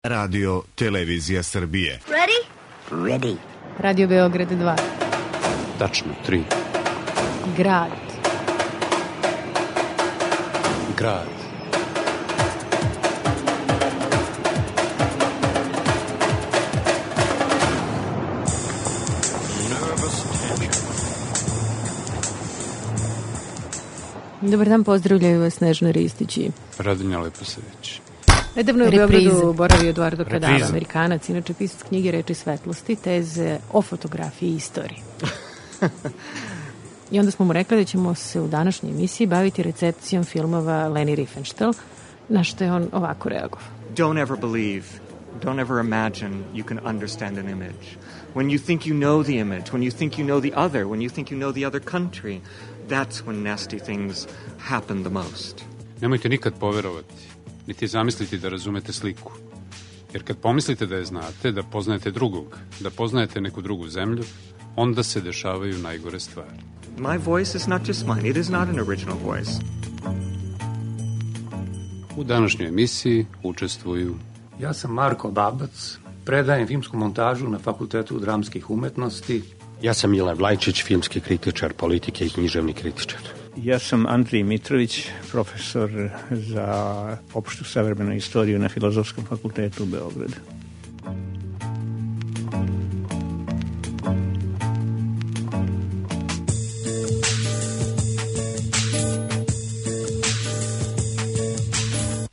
Radio Televizija Srbije. Ready? Ready. Radio Beograd 2. Tačno 3. Grad. Grad. Dobar dan, pozdravljaju vas Snežana Ristić i Radinja Leposavić. nedavno je u Beogradu boravio Eduardo Cadava, Amerikanac, inače pisac knjige Reči svetlosti, teze o fotografiji i istoriji. I onda smo mu rekli da ćemo se u današnjoj emisiji baviti recepcijom filmova Leni Riefenstahl, na što je on ovako reagovao. Don't ever believe, don't ever imagine you can understand an image. When you think you know the image, when you think you know the other, when you think you know the other country, that's when nasty things happen the most. Nemojte nikad poverovati, niti zamisliti da razumete sliku. Jer kad pomislite da je znate, da poznajete drugog, da poznajete neku drugu zemlju, onda se dešavaju najgore stvari. My voice is not just mine, it is not an original voice. U današnjoj emisiji učestvuju Ja sam Marko Babac, predajem filmsku montažu na Fakultetu dramskih umetnosti. Ja sam Milan Vlajčić, filmski kritičar politike i književni kritičar. Ja sam Andrij Mitrović, profesor za opštu savremenu istoriju na Filozofskom fakultetu u Beogradu.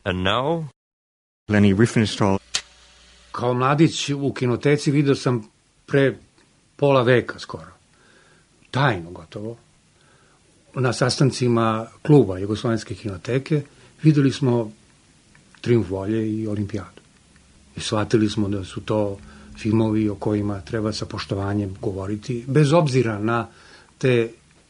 And now, Leni Riefenstahl. Kao mladić u kinoteci vidio sam pre pola veka skoro, tajno gotovo, na sastancima kluba Jugoslovenske kinoteke videli smo Trijumf volje i Olimpijadu. I shvatili smo da su to filmovi o kojima treba sa poštovanjem govoriti, bez obzira na te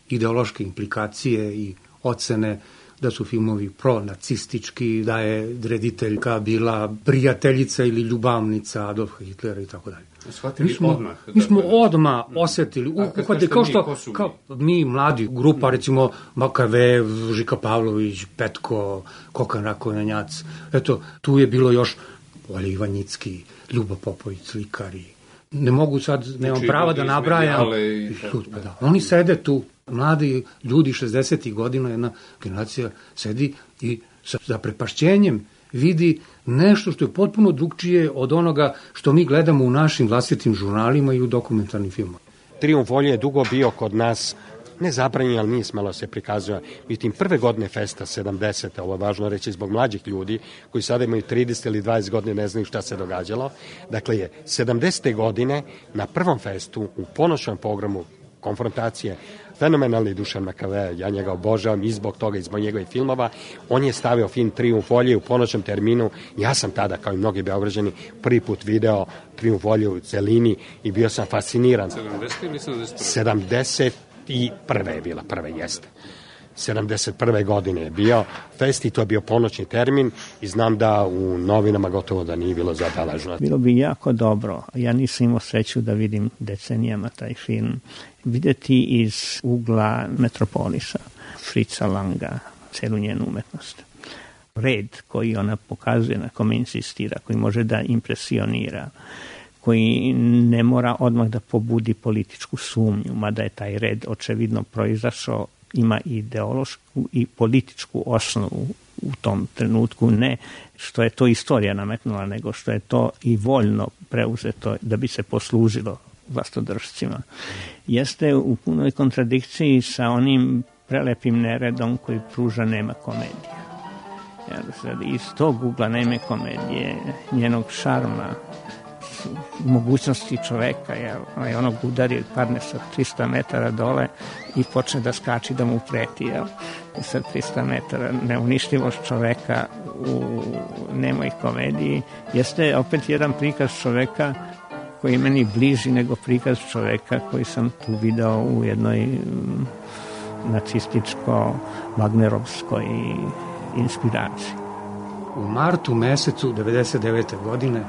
ideološke implikacije i ocene da su filmovi pronacistički, da je rediteljka bila prijateljica ili ljubavnica Adolfa Hitlera i tako dalje. Mi smo odmah osetili, kao mi mladi grupa, recimo Makavev, Žika Pavlović, Petko, Kokan Rakonjanjac, eto, tu je bilo još Olja Ivanjicki, Ljubo Popović, slikari. Ne mogu sad, nemam prava da nabrajam. Da. Oni sede tu, mladi ljudi 60. godina, jedna generacija sedi i sa zaprepašćenjem vidi nešto što je potpuno drugčije od onoga što mi gledamo u našim vlastitim žurnalima i u dokumentarnim filmima. Trijumf volje je dugo bio kod nas nezabranjen, ali nije smelo se prikazuje. Međutim, prve godine festa, 70. ovo je važno reći zbog mlađih ljudi, koji sada imaju 30 ili 20 godine, ne znaju šta se događalo. Dakle, je 70. godine na prvom festu, u ponoćnom programu konfrontacije, fenomenalni Dušan Makave, ja njega obožavam i zbog toga, i zbog njegovih filmova. On je stavio film Trijumf volje u ponoćnom terminu. Ja sam tada, kao i mnogi Beograđani, prvi put video Trijumf volje u celini i bio sam fasciniran. 70. ili 71. 71. je bila, prva jeste. 71. godine je bio fest i to je bio ponoćni termin i znam da u novinama gotovo da nije bilo zabeleženo. Bilo bi jako dobro, ja nisam imao sreću da vidim decenijama taj film, videti iz ugla Metropolisa, Fritza Langa, celu njenu umetnost. Red koji ona pokazuje, na kome insistira, koji može da impresionira, koji ne mora odmah da pobudi političku sumnju, mada je taj red očevidno proizašao, ima ideološku i političku osnovu u tom trenutku, ne što je to istorija nametnula, nego što je to i voljno preuzeto da bi se poslužilo vlastodržcima. Jeste u punoj kontradikciji sa onim prelepim neredom koji pruža Nema komedija. Iz tog ugla Neme komedije, njenog šarma, mogućnosti čoveka, onog udari parne sa 300 metara dole i počne da skači da mu preti, sa 300 metara. Neuništivost čoveka u Nemoj komediji jeste opet jedan prikaz čoveka koji je meni bliži nego prikaz čoveka koji sam tu video u jednoj nacističko-wagnerovskoj inspiraciji. U martu mesecu 99. godine,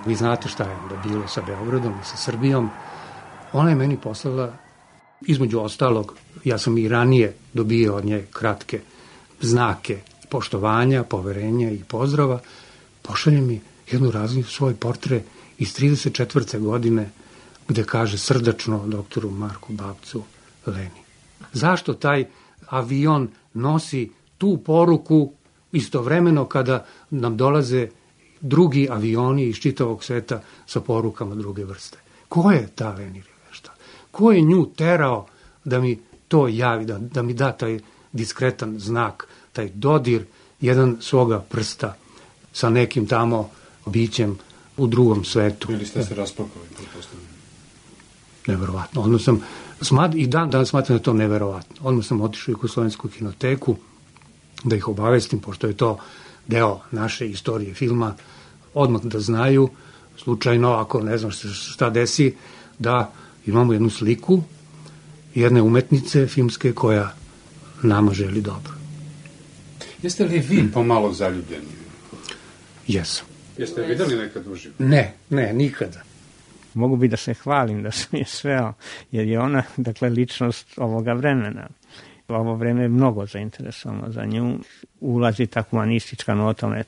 vi znate šta je onda bilo sa Beogradom i sa Srbijom, ona je meni poslala, između ostalog, ja sam i ranije dobio od nje kratke znake poštovanja, poverenja i pozdrava, pošalje mi jednu razliku, svoj portre iz 34. godine, gde kaže srdačno doktoru Marku Babcu Leni. Zašto taj avion nosi tu poruku istovremeno kada nam dolaze drugi avioni iz čitavog sveta sa porukama druge vrste? Ko je ta Leni Rivešta? Ko je nju terao da mi to javi, da mi da taj diskretan znak, taj dodir jedan svoga prsta sa nekim tamo bićem u drugom svetu? Ili ste se raspakali, pretpostavljeno? Neverovatno. Odmah sam, i danas smatram da je to neverovatno. Odmah sam otišao u Jugoslovensku kinoteku da ih obavestim, pošto je to deo naše istorije filma, odmah da znaju, slučajno, ako ne znam šta desi, da imamo jednu sliku jedne umetnice filmske koja nama želi dobro. Jeste li vi pomalo zaljubljeni? Jesam. Jeste videli nekad uživo? Ne, nikada. Mogu bi da se hvalim da sam je sveo, jer je ona, dakle, ličnost ovoga vremena. Ovo vreme je mnogo zainteresovano za nju. Ulazi ta humanistička nota, ona je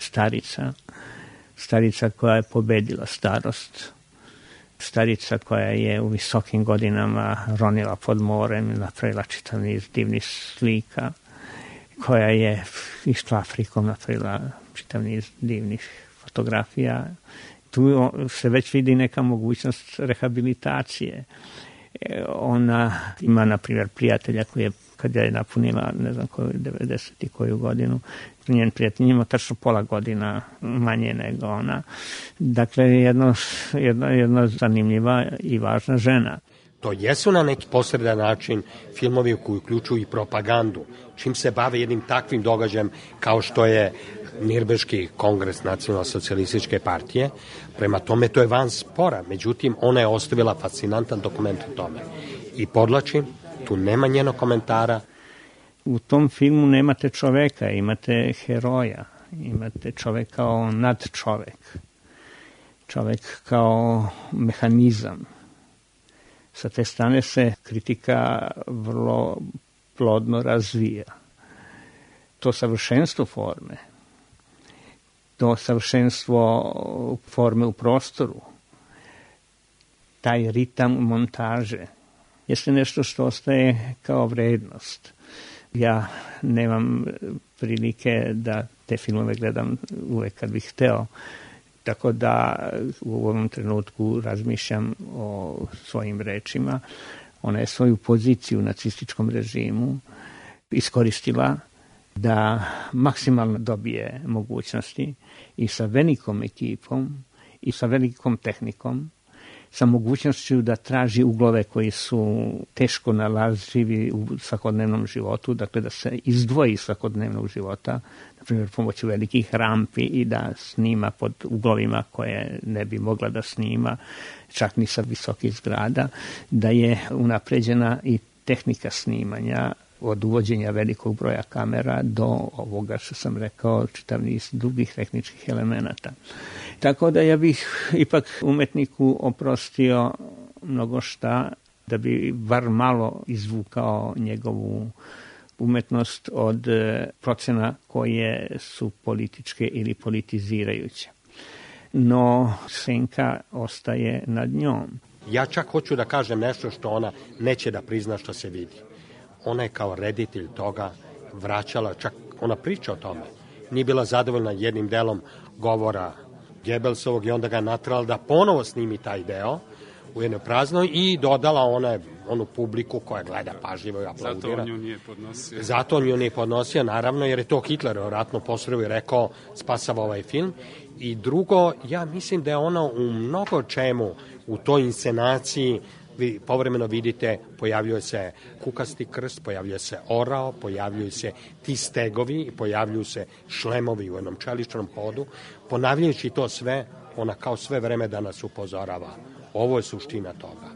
starica koja je pobedila starost, starica koja je u visokim godinama ronila pod morem, napravila čitav niz divnih slika, koja je išla Afrikom, napravila čitav niz divnih fotografija. Tu se već vidi neka mogućnost rehabilitacije. Ona ima, na primjer, prijatelja koji je, kad je napunila, ne znam koju, 90 i koju godinu, njen prijatelj ima tačno pola godina manje nego ona. Dakle, jedna zanimljiva i važna žena. To jesu na neki posredan način filmovi koji uključuju i propagandu, čim se bave jednim takvim događajem kao što je Nirnberški kongres Nacionalno-socijalističke partije. Prema tome to je van spora, međutim ona je ostavila fascinantan dokument o tome. I podlačim, tu nema njenog komentara. U tom filmu nemate čoveka, imate heroja, imate čovek kao nadčovek, čovek kao mehanizam. Sa te strane se kritika vrlo plodno razvija. To savršenstvo forme, to savršenstvo forme u prostoru, taj ritam montaže, jeste nešto što ostaje kao vrednost. Ja nemam prilike da te filmove gledam uvek kad bih hteo, tako da u ovom trenutku razmišljam o svojim rečima. Ona je svoju poziciju u nacističkom režimu iskoristila da maksimalno dobije mogućnosti i sa velikom ekipom i sa velikom tehnikom, sa mogućnošću da traži uglove koji su teško nalazivi u svakodnevnom životu, dakle da se izdvoji iz svakodnevnog života, na primjer pomoću velikih rampi i da snima pod uglovima koje ne bi mogla da snima, čak ni sa visokih zgrada, da je unapređena i tehnika snimanja od uvođenja velikog broja kamera do ovoga što sam rekao, čitav niz drugih tehničkih elemenata. Tako da ja bih ipak umetniku oprostio mnogo šta da bi bar malo izvukao njegovu umetnost od procena koje su političke ili politizirajuće. No, senka ostaje nad njom. Ja čak hoću da kažem nešto što ona neće da prizna što se vidi. Ona je kao reditelj toga vraćala, čak ona priča o tome. Nije bila zadovoljna jednim delom govora Gebelsovog i onda ga natrala da ponovo snimi taj deo u jednoj praznoj i dodala onu publiku koja gleda pažljivo i aplaudira. Zato on nju nije podnosio. Zato on nju nije podnosio, naravno, jer je to Hitler vjerojatno posredio i rekao spasava ovaj film. I drugo, ja mislim da je ona u mnogo čemu u toj inscenaciji, vi povremeno vidite, pojavljuje se kukasti krst, pojavljuje se orao, pojavljuju se ti stegovi i pojavljuju se šlemovi u jednom čeličnom hodu. Ponavljajući to sve, ona kao sve vreme da nas upozorava. Ovo je suština toga.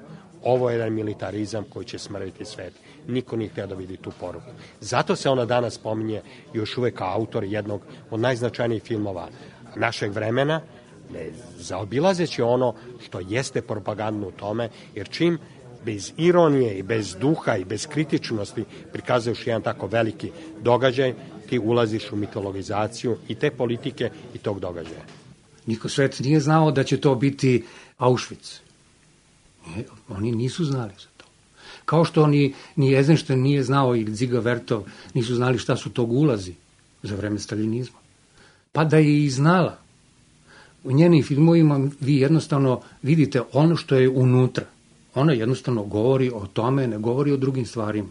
Ovo je jedan militarizam koji će smrviti svet. Niko nije htio da vidi tu poruku. Zato se ona danas spominje još uvek kao autor jednog od najznačajnijih filmova našeg vremena, ne zaobilazeći ono što jeste propagandno u tome, jer čim bez ironije i bez duha i bez kritičnosti prikazuješ jedan tako veliki događaj, ti ulaziš u mitologizaciju i te politike i tog događaja. Niko svet nije znao da će to biti Auschwitz. Oni nisu znali za to. Kao što ni Eisenstein nije znao ili Dziga Vertov nisu znali šta su to gulazi za vreme staljinizma. Pa da je i znala. U njenim filmovima vi jednostavno vidite ono što je unutra. Ona jednostavno govori o tome, ne govori o drugim stvarima.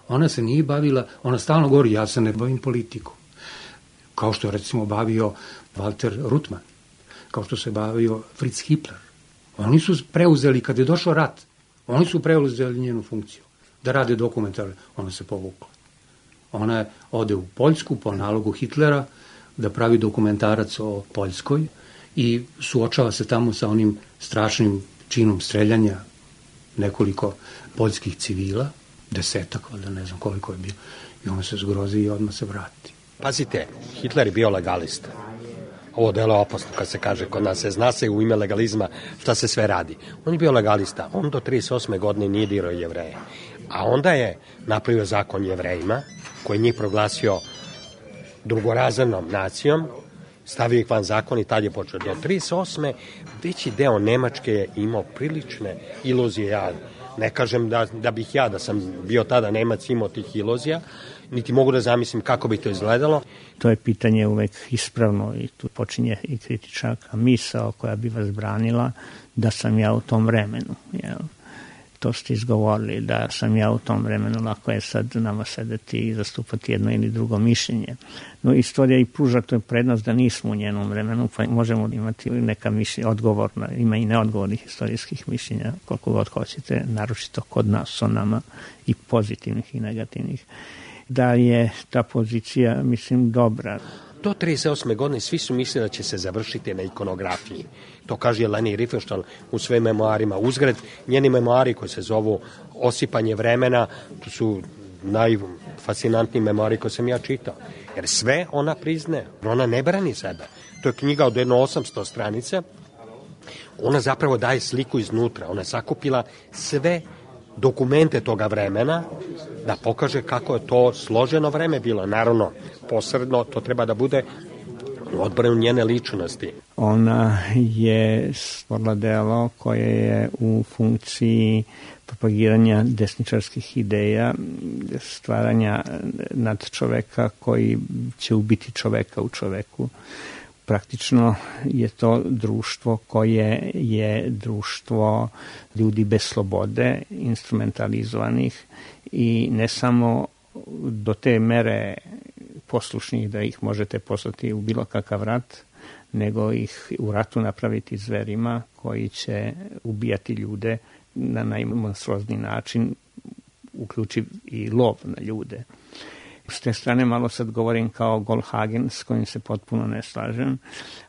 Ona se nije bavila, ona stalno govori, ja se ne bavim politikom. Kao što je recimo bavio Walter Ruttmann, kao što se bavio Fritz Hippler. Oni su preuzeli, kad je došao rat, oni su preuzeli njenu funkciju, da rade dokumentare. Ona se povukla. Ona ode u Poljsku po nalogu Hitlera da pravi dokumentarac o Poljskoj i suočava se tamo sa onim strašnim činom streljanja nekoliko poljskih civila, 10, valjda ne znam koliko je bilo, i on se zgrozi i odmah se vrati. Pazite, Hitler je bio legalista. Ovo delo je opasno kad se kaže kod nas, zna se u ime legalizma šta se sve radi. On je bio legalista, on do 38. godine nije dirao Jevreje. A onda je napravio zakon Jevrejima, koji je njih proglasio drugorazrednom nacijom, stavio ih van zakon i tad je počeo. Do 38. veći deo Nemačke je imao prilične iluzije. Ja ne kažem da bih ja, da sam bio tada Nemac, imao tih iluzija, niti mogu da zamislim kako bi to izgledalo. To je pitanje uvek ispravno i tu počinje i kritičaka misao koja bi vas branila da sam ja u tom vremenu. Jel? To ste izgovorili, da sam ja u tom vremenu, lako je sad nama sedeti i zastupati jedno ili drugo mišljenje. No, istorija i pruža to prednost da nismo u njenom vremenu, pa možemo imati neka mišljenja, odgovorna, ima i neodgovornih istorijskih mišljenja, koliko god hoćete, naročito kod nas o nama, i pozitivnih i negativnih. Da je ta pozicija, mislim, dobra. Do 38. godine svi su mislili da će se završiti na ikonografiji. To kaže Leni Riefenstahl u svojim memoarima. Uzgred, njeni memoari koji se zovu Osipanje vremena, to su najfascinantniji memoari koje sam ja čitao. Jer sve ona priznaje, ona ne brani sebe. To je knjiga od jedno 800 stranica. Ona zapravo daje sliku iznutra. Ona je sakupila sve dokumente toga vremena da pokaže kako je to složeno vreme bilo. Naravno, posredno to treba da bude odbranu njene ličnosti. Ona je stvorila delo koje je u funkciji propagiranja desničarskih ideja, stvaranja nad čoveka koji će ubiti čoveka u čoveku. Praktično je to društvo koje je društvo ljudi bez slobode, instrumentalizovanih i ne samo do te mere poslušnih da ih možete poslati u bilo kakav rat, nego ih u ratu napraviti zverima koji će ubijati ljude na najmonstruozniji način, uključiv i lov na ljude. S te strane malo sad govorim kao Goldhagen, s kojim se potpuno ne slažem,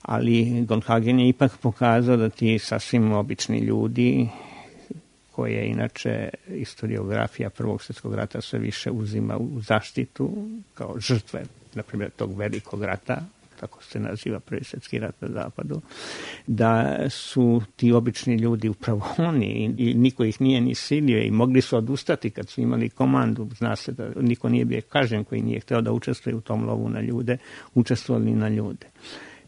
ali Goldhagen je ipak pokazao da ti sasvim obični ljudi, koje inače historiografija Prvog svjetskog rata sve više uzima u zaštitu kao žrtve, na primjer, tog velikog rata, tako se naziva Prvi svjetski rat na zapadu, da su ti obični ljudi upravo oni i niko ih nije ni silio i mogli su odustati kad su imali komandu. Zna se da niko nije bio kažen koji nije hteo da učestvuje u tom lovu na ljude, učestvovali na ljude.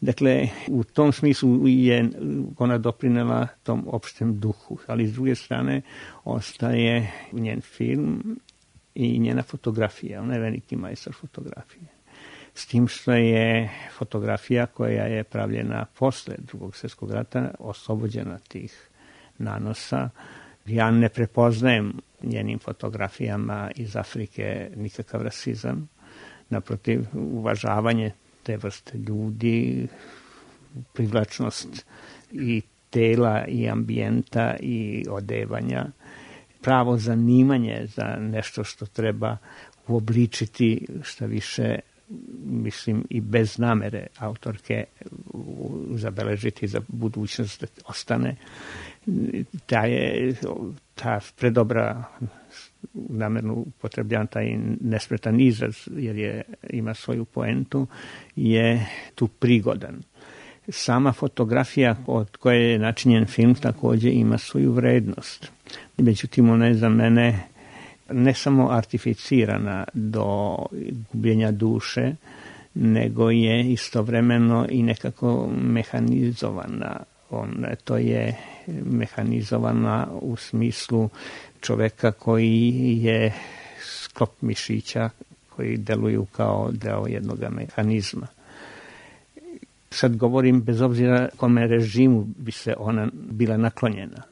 Dakle, u tom smislu je ona doprinela tom opštem duhu, ali s druge strane ostaje njen film i njena fotografija. Ona je veliki majstor fotografije. S tim što je fotografija koja je pravljena posle Drugog svjetskog rata oslobođena tih nanosa. Ja ne prepoznajem njenim fotografijama iz Afrike nikakav rasizam. Naprotiv, uvažavanje te vrste ljudi, privlačnost i tela i ambijenta i odevanja, pravo zanimanje za nešto što treba uobličiti, šta više, mislim, i bez namere autorke zabeležiti za budućnost da ostane. Ta predobra, namerno upotrebljavam taj nespretan izraz, jer ima svoju poentu, je tu prigodan. Sama fotografija od koje je načinjen film također ima svoju vrednost. Međutim, ona je za mene ne samo artificirana do gubljenja duše, nego je istovremeno i nekako mehanizovana. To je mehanizovana u smislu čoveka koji je sklop mišića koji deluju kao deo jednog mehanizma. Sad govorim bez obzira kome režimu bi se ona bila naklonjena.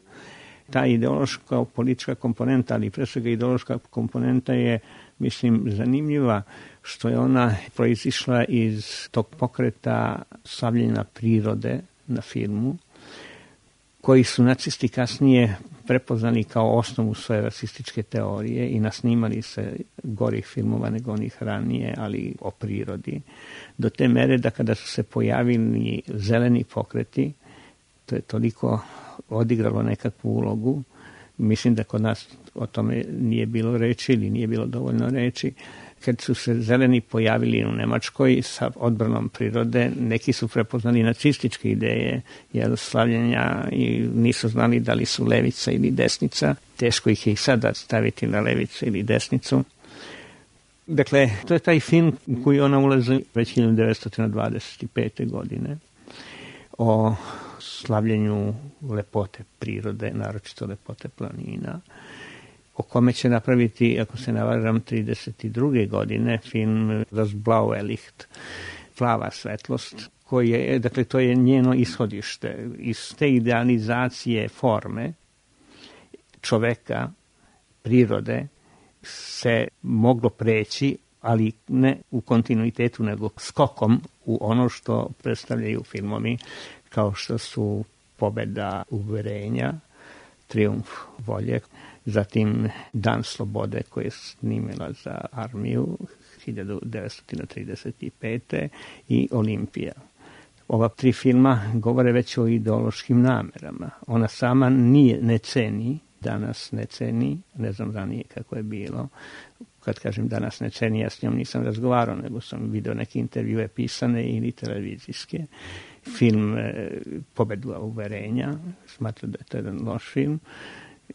Ta ideološka politička komponenta, ali pre svega ideološka komponenta je, mislim, zanimljiva što je ona proizišla iz tog pokreta slavljenja prirode na filmu, koji su nacisti kasnije prepoznali kao osnovu svoje rasističke teorije i nasnimali se gorih filmova nego onih ranije, ali o prirodi. Do te mere da kada su se pojavili zeleni pokreti, to je toliko odigralo nekakvu ulogu. Mislim da kod nas o tome nije bilo reči ili nije bilo dovoljno reči. Kad su se zeleni pojavili u Nemačkoj sa odbranom prirode, neki su prepoznali nacističke ideje, jer slavljenja i nisu znali da li su levica ili desnica. Teško ih je i sada staviti na levicu ili desnicu. Dakle, to je taj film u koji ona ulazi već 1925. godine o slavljenju lepote prirode, naročito lepote planina, o kome će napraviti, ako se ne varam, 32. godine film Das blaue Licht, plava svetlost, koji je, dakle, to je njeno ishodište. Iz te idealizacije forme čoveka, prirode, se moglo preći, ali ne u kontinuitetu, nego skokom u ono što predstavljaju filmovi, kao što su Pobeda uverenja, Trijumf volje, zatim Dan slobode koje je snimila za armiju 1935. i Olimpija. Ova tri filma govore već o ideološkim namerama. Ona sama ne ceni, danas ne ceni, ne znam ranije kako je bilo. Kad kažem danas ne ceni, ja s njom nisam razgovarao, nego sam video neke intervjue pisane ili televizijske. Film Pobeda uverenja, smatram da je to jedan loš film,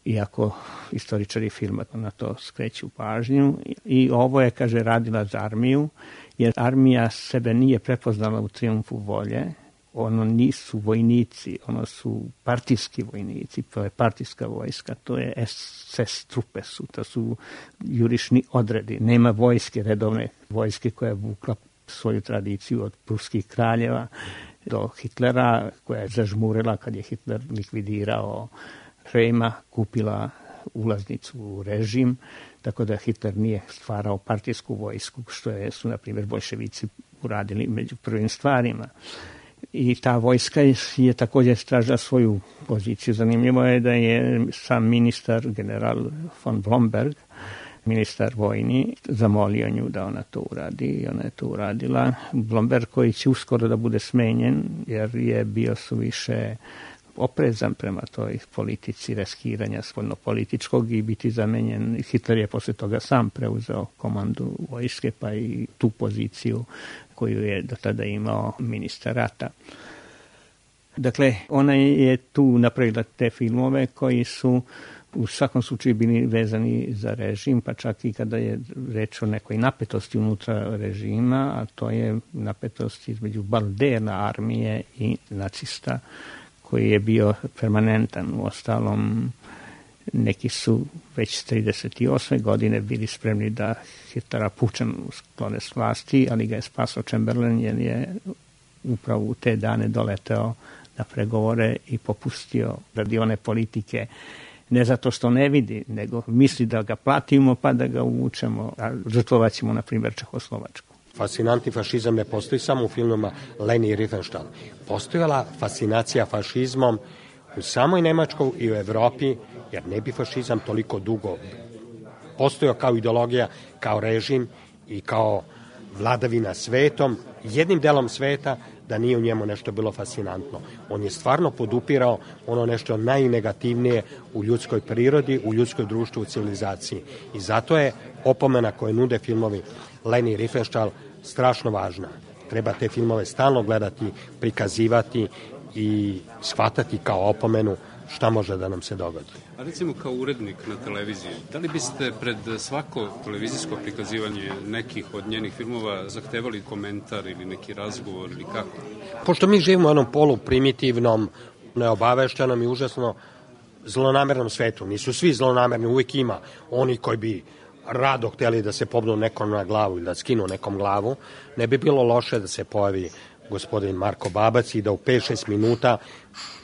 iako istoričari filma na to skreću pažnju. I ovo je, kaže, radila za armiju, jer armija sebe nije prepoznala u Trijumfu volje. Ono nisu vojnici, ono su partijski vojnici, to je partijska vojska, to je SS trupe su, to su jurišni odredi. Nema vojske, redovne vojske koja je vukla svoju tradiciju od pruskih kraljeva do Hitlera, koja je zažmurila kad je Hitler likvidirao Reima, kupila ulaznicu u režim, tako da Hitler nije stvarao partijsku vojsku, što su, na primjer, bolševici uradili među prvim stvarima. I ta vojska je također stražila svoju poziciju. Zanimljivo je da je sam ministar, general von Blomberg, ministar vojni, zamolio nju da ona to uradi i ona je to uradila. Blomberg, koji će uskoro da bude smenjen, jer je bio suviše oprezan prema toj politici reskiranja spoljnopolitičkog i biti zamenjen. Hitler je posle toga sam preuzeo komandu vojske, pa i tu poziciju koju je do tada imao ministar rata. Dakle, ona je tu napravila te filmove koji su u svakom slučaju bili vezani za režim, pa čak i kada je reč o nekoj napetosti unutra režima, a to je napetost između Baldena armije i nacista, koji je bio permanentan. U ostalom, neki su već 38. godine bili spremni da Hitlera pučem sklone s vlasti, ali ga je spasao Chamberlain, jer je upravo u te dane doleteo na pregovore i popustio radi one politike, ne zato što ne vidi, nego misli da ga platimo pa da ga uvučemo, a žrtvovat ćemo, na primjer, Čehoslovačku. Fascinantni fašizam ne postoji samo u filmima Leni Riefenstahl. Postojala fascinacija fašizmom u samoj Nemačkoj i u Evropi, jer ne bi fašizam toliko dugo postojao kao ideologija, kao režim i kao vladavina svetom, jednim delom sveta, da nije u njemu nešto bilo fascinantno. On je stvarno podupirao ono nešto najnegativnije u ljudskoj prirodi, u ljudskoj društvu, u civilizaciji. I zato je opomena koje nude filmovi Leni Riefenstahl strašno važna. Treba te filmove stalno gledati, prikazivati i shvatati kao opomenu šta može da nam se dogodi. A recimo kao urednik na televiziji, da li biste pred svako televizijsko prikazivanje nekih od njenih filmova zahtevali komentar ili neki razgovor ili kako? Pošto mi živimo u jednom poluprimitivnom, neobaveštenom i užasno zlonamernom svetu, nisu svi zlonamerni, uvijek ima oni koji bi rado hteli da se pobnu nekom na glavu ili da skinu nekom glavu, ne bi bilo loše da se pojavi gospodin Marko Babac i da u 5-6 minuta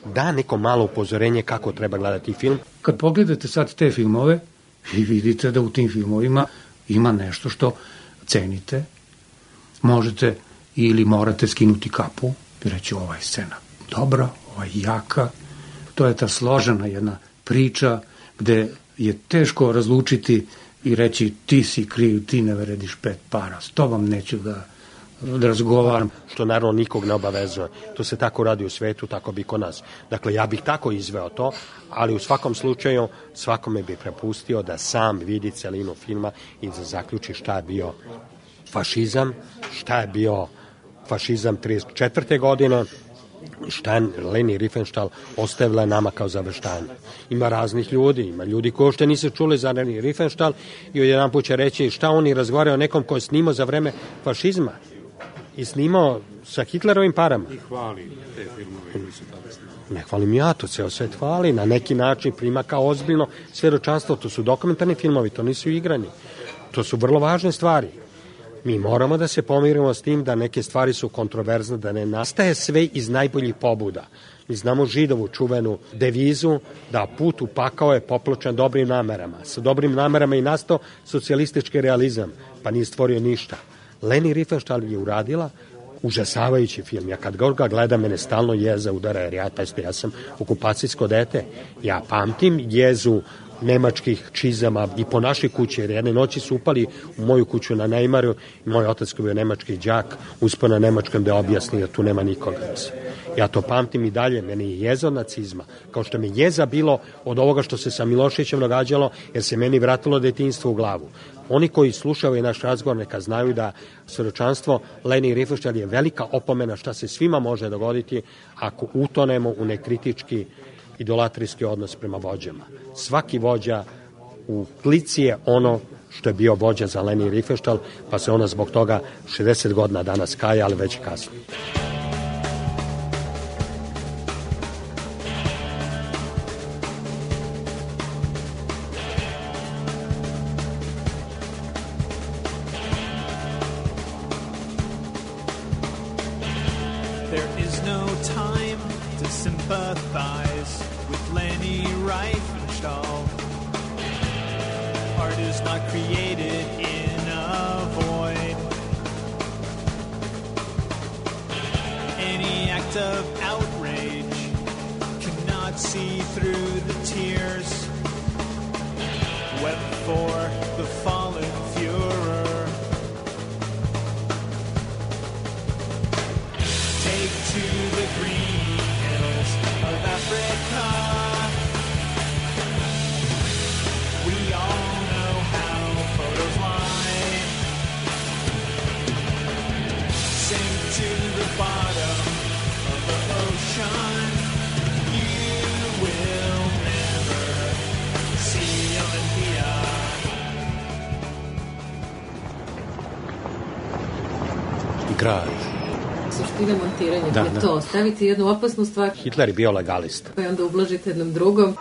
da neko malo upozorenje kako treba gledati film. Kad pogledate sad te filmove i vidite da u tim filmovima ima nešto što cenite, možete ili morate skinuti kapu i reći ova je scena dobra, ova je jaka. To je ta složena jedna priča gde je teško razlučiti i reći ti si kriv, ti ne vrediš 5 para, s tobom neću da razgovaram. Što naravno nikog ne obavezuje. To se tako radi u svetu, tako bi kod nas. Dakle, ja bih tako izveo to, ali u svakom slučaju svakome bih prepustio da sam vidi celinu filma i da zaključi šta je bio fašizam, šta je bio fašizam 1934. godine, šta je Leni Riefenstahl ostavila nama kao zaveštanje. Ima raznih ljudi, ima ljudi koji uopšte nisu čuli za Leni Riefenstahl i jedan put će reći šta oni razgovaraju o nekom ko je snimao za vreme fašizma i snimao sa Hitlerovim parama. I hvali te filmove koji su tada snimali. Ne hvalim ja, to ceo svet hvali, na neki način prima kao ozbiljno svedočanstvo, to su dokumentarni filmovi, to nisu igrani. To su vrlo važne stvari. Mi moramo da se pomirimo s tim da neke stvari su kontroverzne, da ne nastaje sve iz najboljih pobuda. Mi znamo Židovu čuvenu devizu da put u pakao je popločan dobrim namerama. Sa dobrim namerama i nastao socijalistički realizam, pa nije stvorio ništa. Leni Riefenstahl je uradila užasavajući film. Ja kad ga gledam, mene stalno jeza udara, jer ja sam okupacijsko dete. Ja pamtim jezu nemačkih čizama i po našoj kući, jer jedne noći su upali u moju kuću na Neimaru i moj otac koji je nemački đak uspio na nemačkom da objasni da tu nema nikoga. Ja to pamtim i dalje, meni je jeza od nacizma, kao što mi jeza bilo od ovoga što se sa Miloševićem događalo, jer se meni vratilo detinjstvo u glavu. Oni koji slušaju naš razgovor neka znaju da svedočanstvo Leni Riefenstahl je velika opomena šta se svima može dogoditi ako utonemo u nekritički idolatrijski odnos prema vođama. Svaki vođa u klici je ono što je bio vođa za Leni Riefenstahl, pa se ona zbog toga 60 godina danas kaja, ali već kasno. Grad. Suština montiranja je to. Staviti jednu opasnu stvar. Hitler je bio legalist. Pa onda ublažite jednom drugom.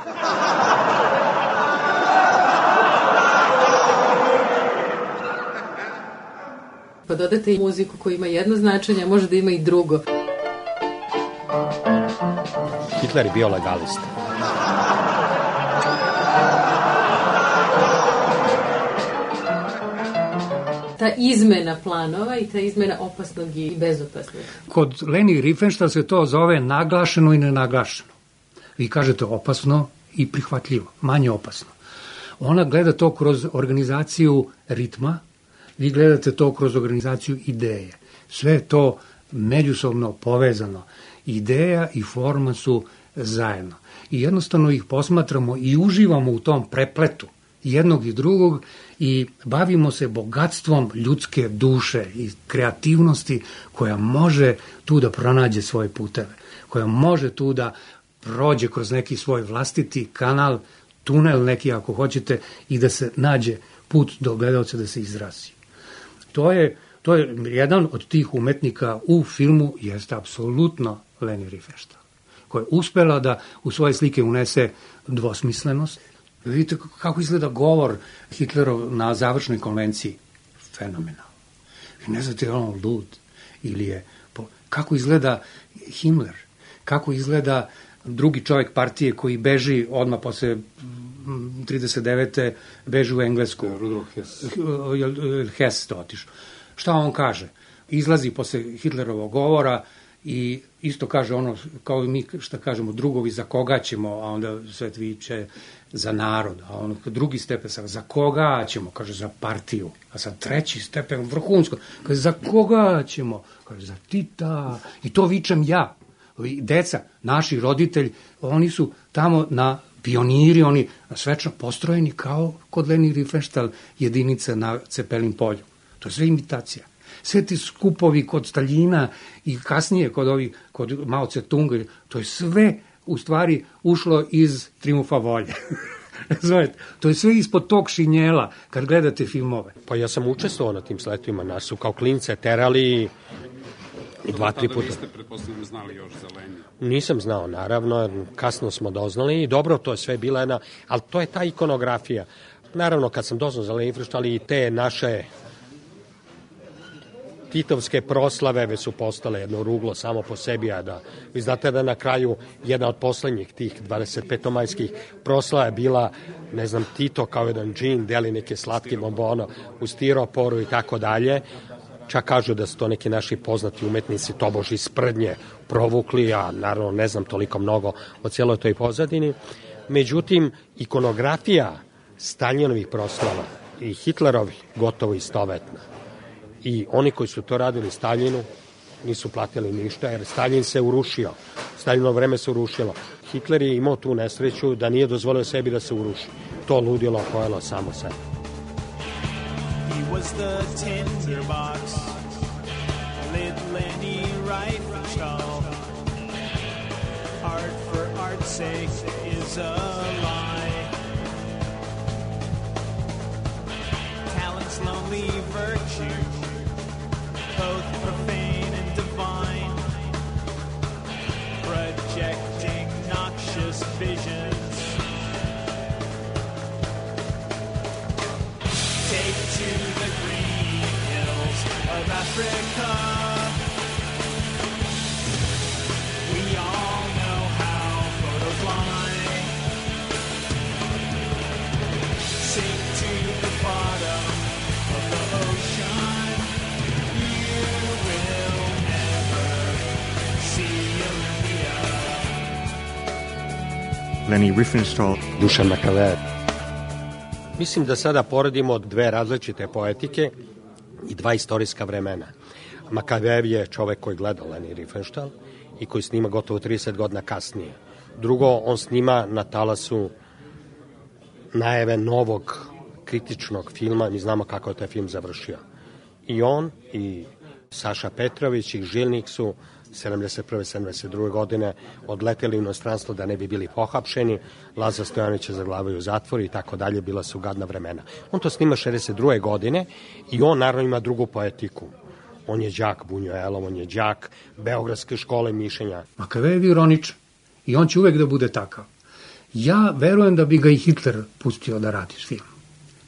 Pa dodate i muziku koja ima jedno značenje, a može da ima i drugo. Hitler je bio legalist. Ta izmena planova i ta izmena opasnog i bezopasnog. Kod Leni Riefenstahl se to zove naglašeno i nenaglašeno. Vi kažete opasno i prihvatljivo, manje opasno. Ona gleda to kroz organizaciju ritma, vi gledate to kroz organizaciju ideje. Sve je to međusobno povezano. Ideja i forma su zajedno. I jednostavno ih posmatramo i uživamo u tom prepletu jednog i drugog i bavimo se bogatstvom ljudske duše i kreativnosti koja može tu da pronađe svoje puteve, koja može tu da prođe kroz neki svoj vlastiti kanal, tunel neki ako hoćete, i da se nađe put do gledalca da se izrazi. To je jedan od tih umetnika u filmu, jeste apsolutno Leni Riefenstahl, koja je uspela da u svoje slike unese dvosmislenost. Vidite kako izgleda govor Hitlerov na završnoj konvenciji. Fenomenalno. Vi ne znate, je on lud ili je... Kako izgleda Himmler, kako izgleda drugi čovjek partije koji beži odmah posle 39. beži u Englesku. Rudolf Hess. Hess to otišao. Šta on kaže? Izlazi posle Hitlerovog govora i isto kaže ono, kao i mi šta kažemo, drugovi za koga ćemo, a onda Svet viče za narod, a ono drugi stepen za koga ćemo, kaže za partiju, a sad treći stepen vrhunsko, kaže za koga ćemo, kaže za Tita, i to vičem ja. Deca, naši roditelji, oni su tamo na pioniri, oni svečno postrojeni kao kod Leni Riefenstahl jedinica na Cepelin polju. To je sve imitacija. Sve ti skupovi kod Staljina i kasnije kod Mao Tse-tunga, to je sve u stvari ušlo iz Trijumfa volje. To je sve ispod tog šinjela kad gledate filmove. Pa ja sam učestvovao na tim sletovima, nas su kao klince terali 2-3 puta. Niste, pretpostavljam, znali još za Lenija? Nisam znao, naravno, kasno smo doznali i dobro, to je sve bila jedna, ali to je ta ikonografija. Naravno, kad sam doznao za Leni Riefenstahl i te naše titovske proslave već su postale jedno ruglo samo po sebi, a da vi znate da na kraju jedna od poslednjih tih 25-majskih proslava je bila, ne znam, Tito kao jedan džin, deli neke slatke bombono u stiroporu i tako dalje. Čak kažu da su to neki naši poznati umetnici tobož iz sprdnje provukli, a naravno ne znam toliko mnogo o cijeloj toj pozadini. Međutim, ikonografija Staljinovih proslava i Hitlerovih gotovo istovetna. I oni koji su to radili Staljinu nisu platili ništa, jer Staljin se urušio. Staljino vreme se urušilo. Hitler je imao tu nesreću da nije dozvolio sebi da se uruši. To ludilo pojelo samo sebe. He was the tinderbox, lit Leni Riefenstahl. Art for art's sake is a lie. Talent's lonely virtue, both profane and divine, projecting noxious visions. Take to the green hills of Africa. We all know how photos lie. Sink to the bottom of the ocean. You will never see Olympia. Leni Riefenstahl. Dušan Makavejev. Mislim da sada poredimo dve različite poetike i dva istorijska vremena. Makavejev je čovek koji gleda Leni Riefenstahl i koji snima gotovo 30 godina kasnije. Drugo, on snima na talasu najave novog kritičnog filma, mi znamo kako je taj film završio. I on i Saša Petrović i Žilnik su 71. 72. godine odleteli u inostranstvo da ne bi bili pohapšeni, Lazar Stojanović je zaglavio u zatvor i tako dalje, bila su gadna vremena. On to snima 62. godine i on naravno ima drugu poetiku. On je đak Bunjuelov, on je đak Beogradske škole mišljenja. Makavejev je ironičan i on će uvek da bude takav. Ja verujem da bi ga i Hitler pustio da radi film.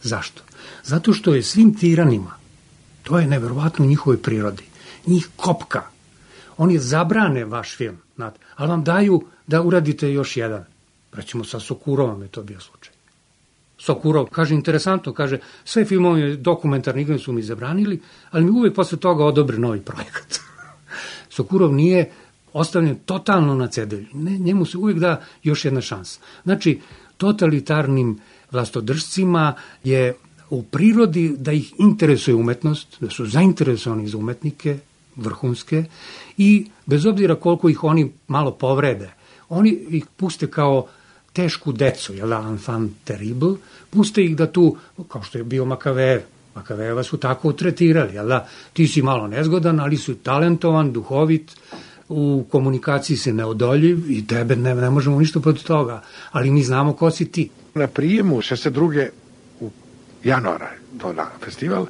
Zašto? Zato što je svim tiranima, to je neverovatno u njihovoj prirodi, njih kopka. Oni zabrane vaš film, znate, ali vam daju da uradite još jedan. Recimo sa Sokurovom je to bio slučaj. Sokurov, kaže, interesantno, kaže, sve filmove dokumentarni su mi zabranili, ali mi uvek posle toga odobre novi projekat. Sokurov nije ostavljen totalno na cedilju. Njemu se uvek da još jedna šansa. Znači, totalitarnim vlastodržcima je u prirodi da ih interesuje umetnost, da su zainteresovani za umetnike, vrhunske, i bez obzira koliko ih oni malo povrede, oni ih puste kao tešku decu, jel da, enfant terrible, puste ih da tu, kao što je bio Makavejev, Makavejeva su tako tretirali, jel da, ti si malo nezgodan, ali su talentovan, duhovit, u komunikaciji si neodoljiv i tebe ne možemo ništa protiv toga, ali mi znamo ko si ti. Na prijemu 62. u januara to na festival,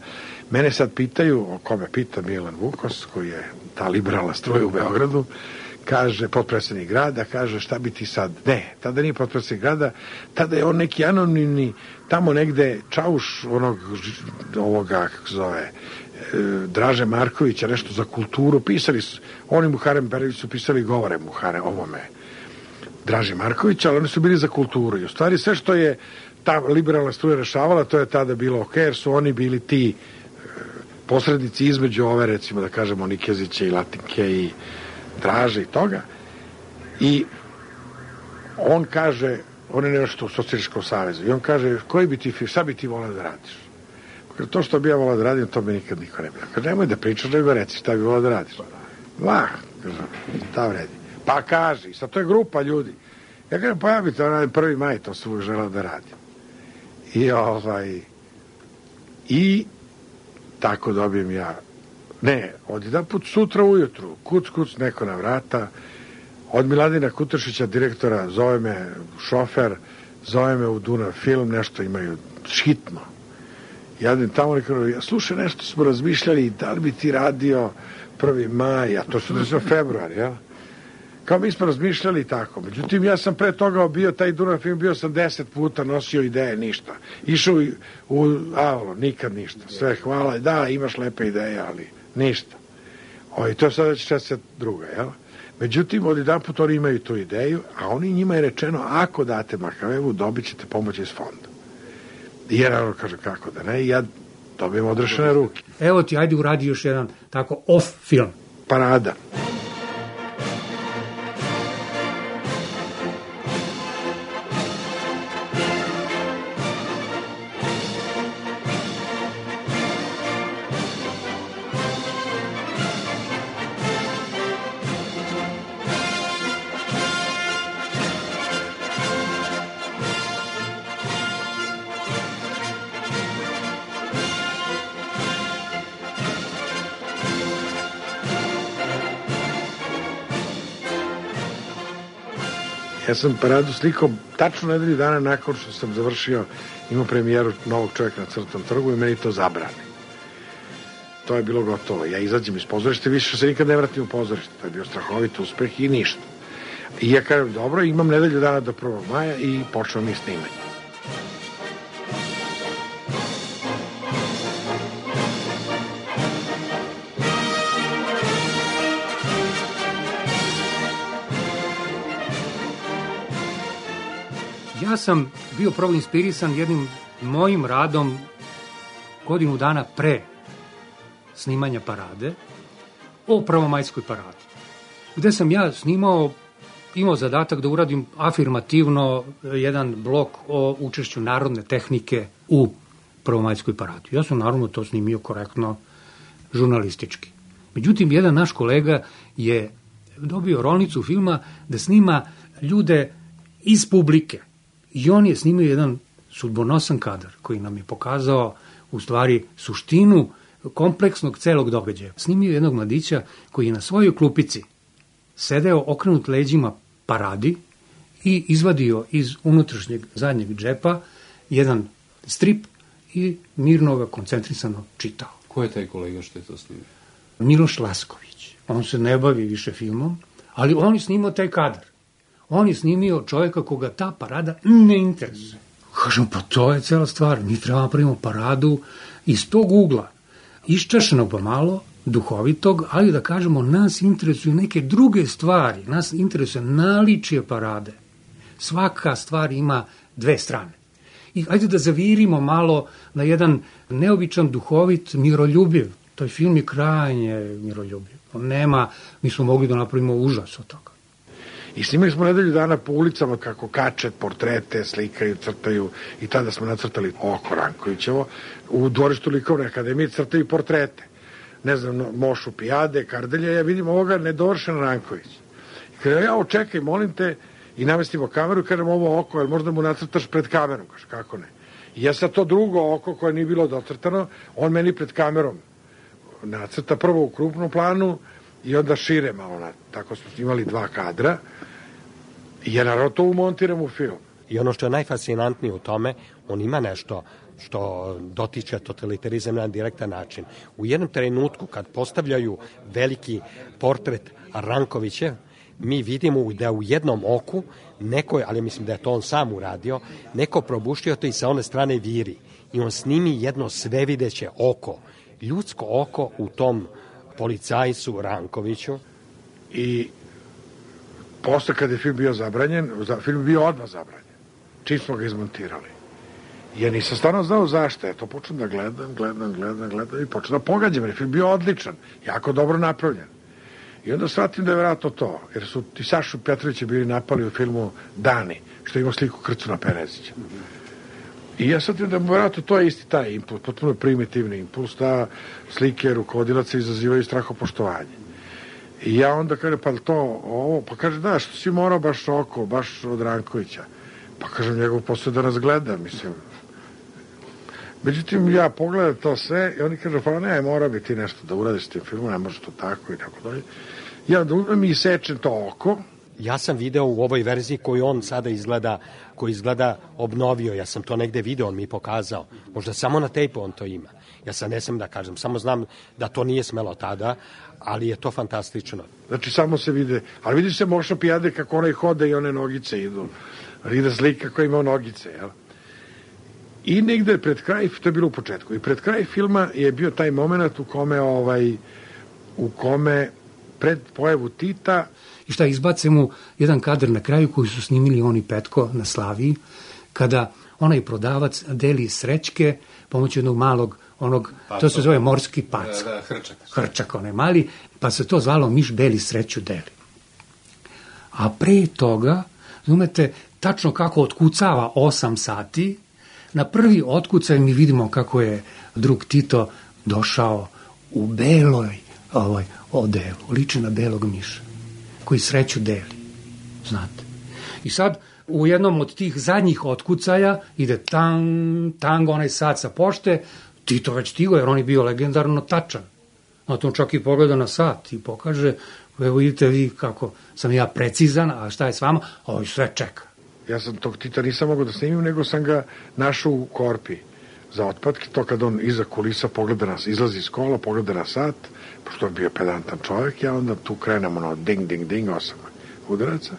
mene sad pitaju, o kome pita Milan Vukos, koji je ta liberalna struja u Beogradu, kaže, potpredsjednik grada, kaže, šta bi ti sad? Ne, tada nije potpredsjednik grada, tada je on neki anonimni, tamo negde čauš ovoga, kako zove, Draže Markovića, nešto za kulturu, pisali su, oni Muharem Berević su pisali govore Muhare ovome Draže Markovića, ali oni su bili za kulturu i u stvari sve što je ta liberalna struja rešavala, to je tada bilo ok, jer su oni bili ti posrednici između ove, recimo da kažemo, Nikezića i Latinke i Draže i toga. I on kaže, on je nešto u Socijalističkom savezu, i on kaže, koji bi ti, šta bi ti volao da radiš? Kaže, to što bi ja volao da radim, to mi nikad niko ne bi. Kaže, nemoj da pričaš, nego reci šta bi volao da radiš. Lah, kaže, šta vredi. Pa kaži, sad to je grupa ljudi. Ja kažem, pa ja bi to radim 1. maj, to sam uvijek želao da radim. I tako dobijem ja, ne, od jedan put sutra ujutru, kuc, neko na vrata, od Miladina Kutršića, direktora, zove me šofer, zove me u Dunav film, nešto imaju hitno. Ja idem tamo i kažem, slušaj, nešto smo razmišljali, da li bi ti radio 1. maj, a to se desilo februar, jel? Kao mi smo razmišljali tako. Međutim, ja sam pre toga bio, taj Dunav film, bio sam 10 puta, nosio ideje, ništa. Išao u Avalo, nikad ništa. Sve hvala, da, imaš lepe ideje, ali ništa. I to je sada 62. jel? Međutim, od jedan put oni imaju tu ideju, a oni njima je rečeno, ako date Makavevu, dobit ćete pomoć iz fonda. I ja naravno kaže, kako da ne, i ja dobijem odrešene ruke. Evo ti, ajde uradi još jedan tako off film. Parada. Ja sam paradu slikao tačno nedelju dana nakon što sam završio, imao premijeru Novog čovjeka na Crtom trgu i meni to zabrani. To je bilo gotovo. Ja izađem iz pozorišta, više se nikad ne vratim u pozorište. To je bio strahovit uspeh i ništa. I ja kažem, dobro, imam nedelju dana do 1. maja i počeo mi snimanje. Ja sam bio prvo inspirisan jednim mojim radom godinu dana pre snimanja parade o prvomajskoj paradi, gde sam ja imao zadatak da uradim afirmativno jedan blok o učešću narodne tehnike u prvomajskoj paradi. Ja sam naravno to snimio korektno žurnalistički. Međutim, jedan naš kolega je dobio rolnicu filma da snima ljude iz publike. I on je snimio jedan sudbonosan kadar koji nam je pokazao u stvari suštinu kompleksnog celog događaja. Snimio jednog mladića koji je na svojoj klupici sedeo okrenut leđima paradi i izvadio iz unutrašnjeg zadnjeg džepa jedan strip i mirno ga koncentrisano čitao. Ko je taj kolega što je to snimio? Miloš Lasković. On se ne bavi više filmom, ali on je snimao taj kadar. On je snimio čovjeka koga ta parada ne interesuje. Kažem, pa to je cela stvar. Mi treba napravimo paradu iz tog ugla. Iščašenog pa malo, duhovitog, ali da kažemo, nas interesuju neke druge stvari. Nas interesuje naličje parade. Svaka stvar ima dve strane. I ajde da zavirimo malo na jedan neobičan, duhovit, miroljubiv. Taj film je krajnje miroljubiv. On nema, mi smo mogli da napravimo užas od toga. I snimali smo nedelju dana po ulicama kako kače portrete, slikaju, crtaju i tada smo nacrtali oko Rankovićevo. U dvorištu Likovne akademije crtaju portrete. Ne znam, Mošu Pijade, Kardelja, ja vidim ovoga nedovršen Ranković. I kada ja čekaj, molim te, i namestimo kameru, kažem ovo oko, ali možda mu nacrtaš pred kamerom, kaže, kako ne. I ja sad to drugo oko koje nije bilo docrtano, on meni pred kamerom nacrta prvo u krupnom planu i onda šire malo, tako smo snimali 2 kadra i ja naravno to umontiram u film. I ono što je najfascinantnije u tome, on ima nešto što dotiče totalitarizam na direktan način. U jednom trenutku kad postavljaju veliki portret Rankovića, mi vidimo da u jednom oku neko, ali mislim da je to on sam uradio, neko probušio to i sa one strane viri. I on snimi jedno svevideće oko, ljudsko oko u tom policajcu Rankoviću. I posle kad je film bio zabranjen, film je bio odmah zabranjen. Čim smo ga izmontirali. Ja nisam stvarno znao zašto. Ja to počnem da gledam i počnem da pogađam. Jer je film bio odličan, jako dobro napravljen. I onda shvatim da je vjerojatno to. Jer su i Sašu Petrovića bili napali u filmu Dani, što ima sliku Krcuna Penezića. I ja shvatim da vjerojatno to je isti taj impuls, potpuno primitivni impuls, da slike rukovodilaca izazivaju strahopoštovanje. I ja onda kažem, pa to ovo, pa kaže, da, što si morao baš oko, baš od Rankovića. Pa kažem, njegov posao da nas gleda, mislim. Međutim, ja pogledam to sve i oni kažu, pa ne, mora bi ti nešto da uradiš s tim filmom, ne može to tako i tako dalje. Ja da uzmem i sečem to oko. Ja sam video u ovoj verziji koju on sada izgleda, koji izgleda obnovio, ja sam to negde video, on mi pokazao. Možda samo na tejpu on to ima. Ja sad ne sam da kažem, samo znam da to nije smelo tada, ali je to fantastično. Znači, samo se vide, ali vidi se Moša Pijade kako onaj hode i one nogice idu. Ide slika koja ima nogice, jel? I negde pred kraj, to je bilo u početku, i pred kraj filma je bio taj moment u kome pred pojavu Tita. I šta, izbace mu jedan kadar na kraju koji su snimili oni Petko na Slaviji, kada onaj prodavac deli srećke pomoću jednog malog, to se zove morski pac. Hrčak, onaj mali, pa se to zvalo Miš Beli sreću deli. A pre toga, znate, tačno kako otkucava 8 sati, na prvi otkucaj mi vidimo kako je drug Tito došao u beloj odelu, liči na belog miša, koji sreću deli, znate. I sad, u jednom od tih zadnjih otkucaja ide tang, onaj sat sa pošte, Tito već stigo, jer on je bio legendarno tačan. Na tom čak i pogleda na sat i pokaže, evo vidite vi kako sam ja precizan, a šta je s vama? Ovo sve čeka. Ja sam tog Tita nisam mogao da snimim, nego sam ga našao u korpi za otpadke, to kad on iza kulisa pogleda nas, izlazi iz kola, pogleda na sat, pošto je bio pedantan čovjek, ja onda tu krenemo ding, 8 udaraca,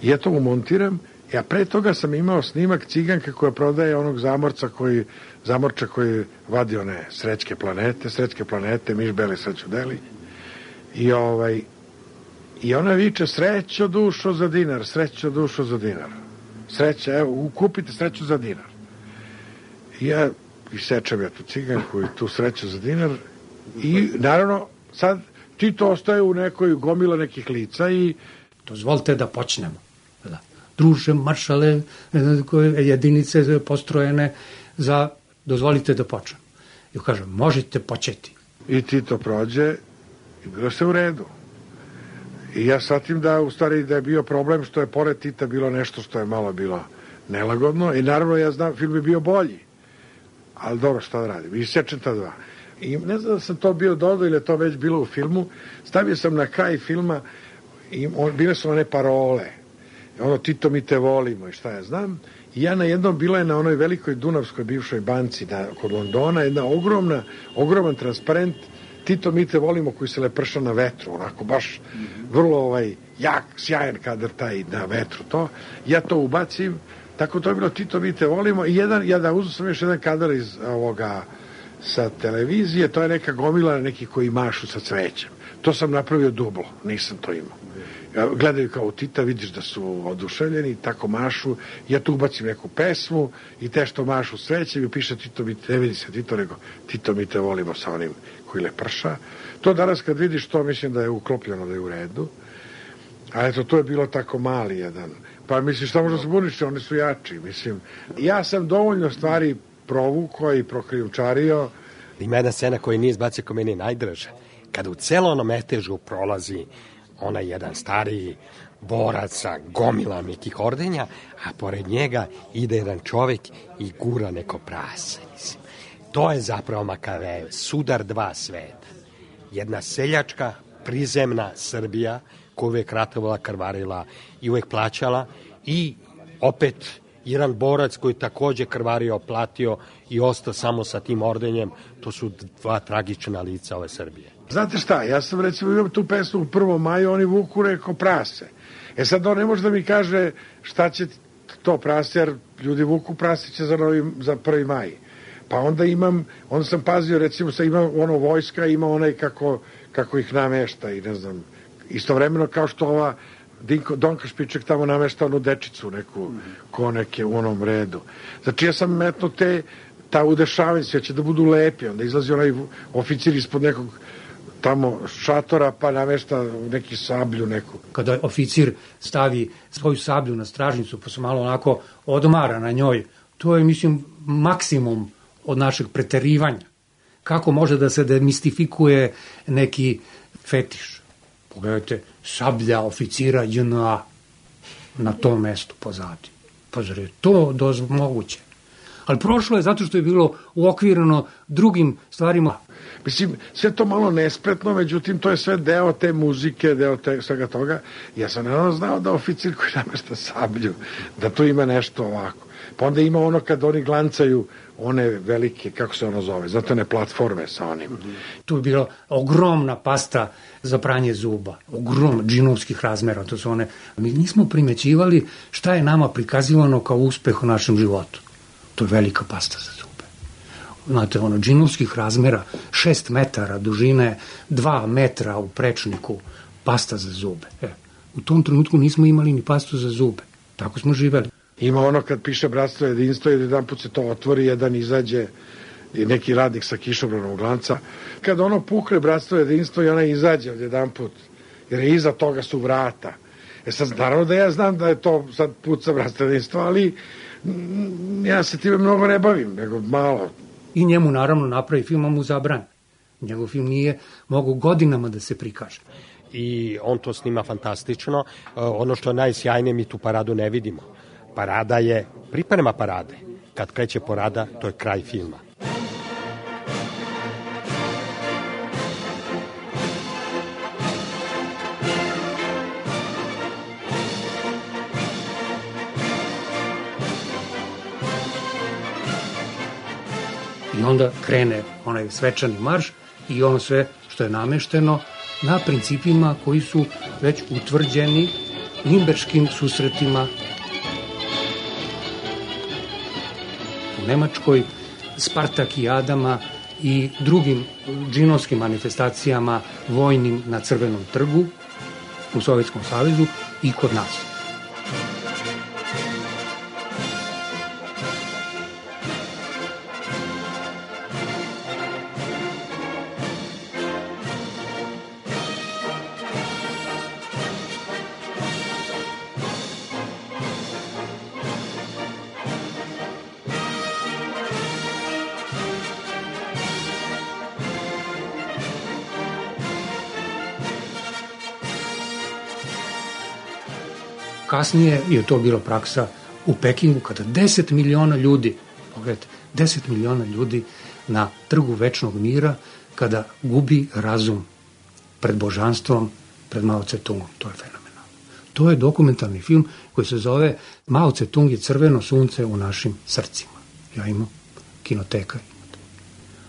i ja to umontiram, a pre toga sam imao snimak ciganke koja prodaje onog zamorča koji vadi one srećke planete, Miš Beli sreću deli, i ona viče, srećo dušo za dinar, sreća, evo, kupite sreću za dinar. I ja isečem tu ciganku i tu sreću za dinar i naravno sad Tito ostaje u nekoj gomila nekih lica i dozvolite da počnemo. Druže, maršale, jedinice postrojene za dozvolite da počnemo. I kažem, možete početi. I Tito prođe i bilo se u redu. I ja shvatim da u stvari da je bio problem što je pored Tita bilo nešto što je malo bilo nelagodno i naravno ja znam film je bio bolji, ali dobro, šta da radim, isečem ta 2 i ne znam da sam to bio dodao ili je to već bilo u filmu, stavio sam na kraj filma i bile su one parole, Tito mi te volimo i šta ja znam, i ja na jednom, bila je na onoj velikoj Dunavskoj bivšoj banci kod Londona, jedna ogroman transparent Tito mi te volimo, koji se leprša na vetru, onako baš vrlo jak, sjajan kadar taj na vetru to. Ja to ubacim, tako to je bilo Tito mi te volimo i uzeo sam još jedan kadar iz ovoga sa televizije, to je neka gomila neki koji mašu sa cvećem. To sam napravio dublo, nisam to imao. Gledaju kao Tita, vidiš da su oduševljeni, tako mašu, ja tu ubacim neku pesmu i te što mašu cvećem i piše Tito mi te, ne vidi se Tito, nego Tito mi te volimo sa onim koji leprša. To danas kad vidiš to, mislim da je uklopljeno, da je u redu. A eto, to je bilo tako mali jedan. Pa mislim, šta možda se buniš, oni su jači. Mislim, ja sam dovoljno stvari provukao i prokrijumčario. Ima jedna scena koja nije izbacio ko meni najdraža. Kada u celo onom metežu prolazi onaj jedan stariji borac sa gomila nekih ordenja, a pored njega ide jedan čovjek i gura neko prase. To je zapravo Makavejev, sudar 2 sveta. Jedna seljačka prizemna Srbija koja uvek ratovala, krvarila i uvek plaćala, i opet jedan borac koji takođe krvario, platio i ostao samo sa tim ordenjem. To su dva tragična lica ove Srbije. Znate šta, ja sam recimo imam tu pesmu u 1. maju, oni vuku reko prase. Sad on ne može da mi kaže šta će to prase, jer ljudi vuku prasiće za 1. maj. Pa onda sam pazio, recimo, sad ima ono vojska, ima onaj kako ih namešta i ne znam, istovremeno kao što ova Donka Špiček tamo namešta onu dečicu neku, ko neke u onom redu. Znači ja sam metno ta udešavanja, sve će da budu lepi, onda izlazi onaj oficir ispod nekog tamo šatora pa namešta neki sablju neku. Kada oficir stavi svoju sablju na stražnicu pa se malo onako odmara na njoj, to je, mislim, maksimum od našeg preterivanja. Kako može da se demistifikuje neki fetiš? Pogledajte, sablja oficira JNA na tom mestu pozadi. Pa zar je to moguće? Ali prošlo je zato što je bilo uokvireno drugim stvarima. Mislim, sve to malo nespretno, međutim, to je sve deo te muzike, deo svega toga. Ja sam naravno znao da oficir koji namešta sablju, da tu ima nešto ovako. Pa onda ima ono kad oni glancaju one velike, kako se ono zove, znate one platforme sa onim. Tu je bila ogromna pasta za pranje zuba, ogromna, džinovskih razmera, to su one. Mi nismo primećivali šta je nama prikazivano kao uspeh u našem životu. To je velika pasta za zube. Znate, ono, džinovskih razmera, 6 metara dužine, 2 metra u prečniku, pasta za zube. U tom trenutku nismo imali ni pastu za zube. Tako smo živeli. Ima ono kad piše bratstvo jedinstvo i jedan put se to otvori, jedan izađe i neki radnik sa kišobranom glanca. Kad ono pukne bratstvo jedinstvo i ona izađe od jedan put, jer je iza toga su vrata. Sad, naravno da ja znam da je to sad put sa bratstvo jedinstvo, ali ja se time mnogo ne bavim, nego malo. I njemu naravno napravi film, a mu zabrani. Njegov film nije mogu godinama da se prikaže. I on to snima fantastično. Ono što je najsjajnije, mi tu paradu ne vidimo. Parada je priprema parade. Kad kreće parada, to je kraj filma. I onda krene onaj svečani marš i ono sve što je namešteno na principima koji su već utvrđeni Nimberškim susretima u Nemačkoj, Spartakijadama i drugim džinovskim manifestacijama vojnim na Crvenom trgu u Sovjetskom savezu i kod nas. Kasnije je to bila praksa u Pekingu kada 10 miliona ljudi, pogledajte, 10 miliona ljudi na Trgu večnog mira, kada gubi razum pred božanstvom, pred Mao Tse-tungom. To je fenomenalno. To je dokumentarni film koji se zove Mao Tse-tung je crveno sunce u našim srcima. Ja imam, Kinoteka imate.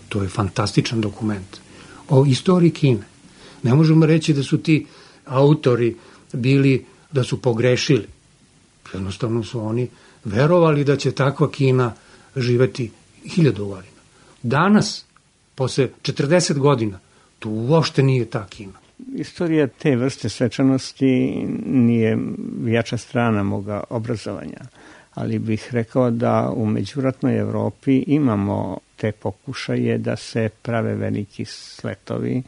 To je fantastičan dokument o istoriji Kine. Ne možemo reći da su ti autori bili da su pogrešili. Jednostavno su oni verovali da će takva Kina živeti 1000 godina. Danas, posle 40 godina, to uopšte nije ta Kina. Istorija te vrste svečanosti nije jača strana moga obrazovanja, ali bih rekao da u međuratnoj Evropi imamo te pokušaje da se prave veliki sletovi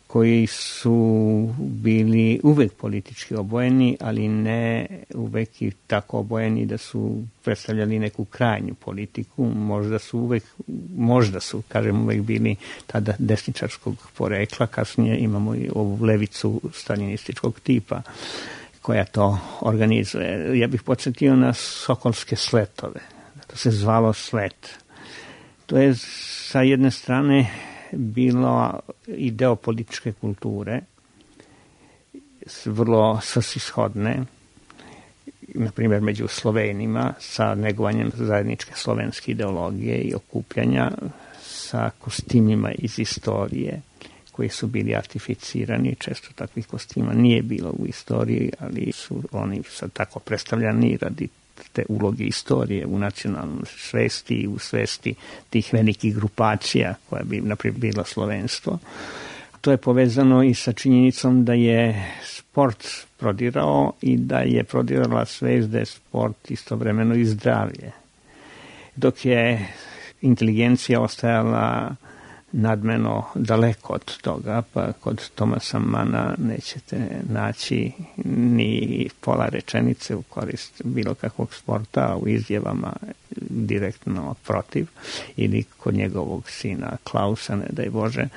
koji su bili uvek politički obojeni, ali ne uvek i tako obojeni da su predstavljali neku krajnju politiku. Možda su, kažem, uvek bili tada desničarskog porekla, kasnije imamo i ovu levicu staljinističkog tipa koja to organizuje. Ja bih podsjetio na Sokolske sletove. To se zvalo slet. To je sa jedne strane bilo i deo političke kulture, vrlo svrsishodne, na primjer među Slovenima, sa negovanjem zajedničke slovenske ideologije i okupljanja, sa kostimima iz istorije koji su bili artificirani. Često takvih kostima nije bilo u istoriji, ali su oni sad tako predstavljani radi te uloge istorije u nacionalnoj svesti i u svesti tih velikih grupacija koja bi, naprimjer, bilo slovenstvo. To je povezano i sa činjenicom da je sport prodirao i da je prodirala svest da je sport istovremeno i zdravlje. Dok je inteligencija ostajala nadmeno daleko od toga, pa kod Thomasa Manna nećete naći ni pola rečenice u korist bilo kakvog sporta, a u izjavama direktno protiv, ili kod njegovog sina Klausa, ne daj Bože,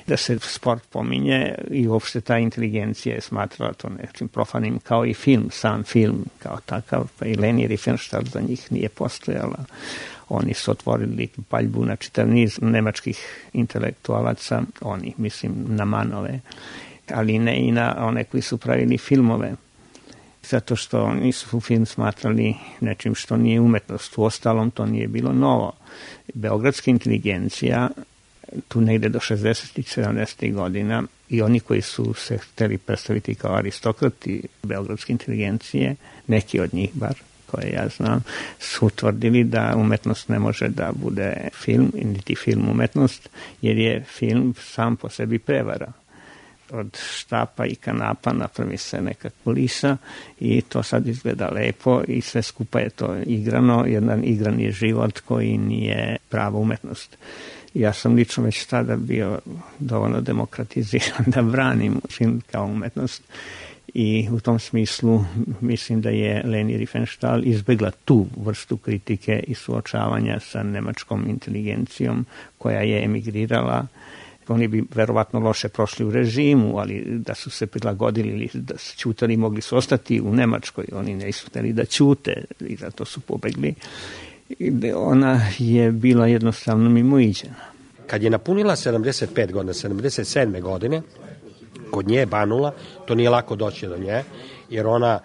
da se sport pominje i uopšte ta inteligencija je smatrala to nečim profanim, kao i film, sam film kao takav, pa i Leni Riefenstahl za njih nije postojala. Oni su otvorili paljbu na čitav niz nemačkih intelektualaca, oni, mislim, na Manove, ali ne i na one koji su pravili filmove, zato što oni su film smatrali nečim što nije umetnost. U ostalom to nije bilo novo. Beogradska inteligencija, tu negde do 60. i 70. godina, i oni koji su se hteli predstaviti kao aristokrati beogradske inteligencije, neki od njih bar, koje ja znam, su utvrdili da umetnost ne može da bude film, niti film umetnost, jer je film sam po sebi prevara. Od štapa i kanapa napravi se neka kulisa i to sad izgleda lepo i sve skupa je to igrano, jedan igran je život koji nije prava umetnost. Ja sam lično već tada bio dovoljno demokratiziran da branim film kao umetnost. I u tom smislu mislim da je Leni Riefenstahl izbjegla tu vrstu kritike i suočavanja sa nemačkom inteligencijom koja je emigrirala. Oni bi verovatno loše prošli u režimu, ali da su se prilagodili ili da su ćutali, mogli su ostati u Nemačkoj. Oni nisu hteli da ćute i zato su pobegli. Ona je bila jednostavno mimoiđena. Kad je napunila 75 godina, 77. godine, kod nje je Banula, to nije lako doći do nje, jer ona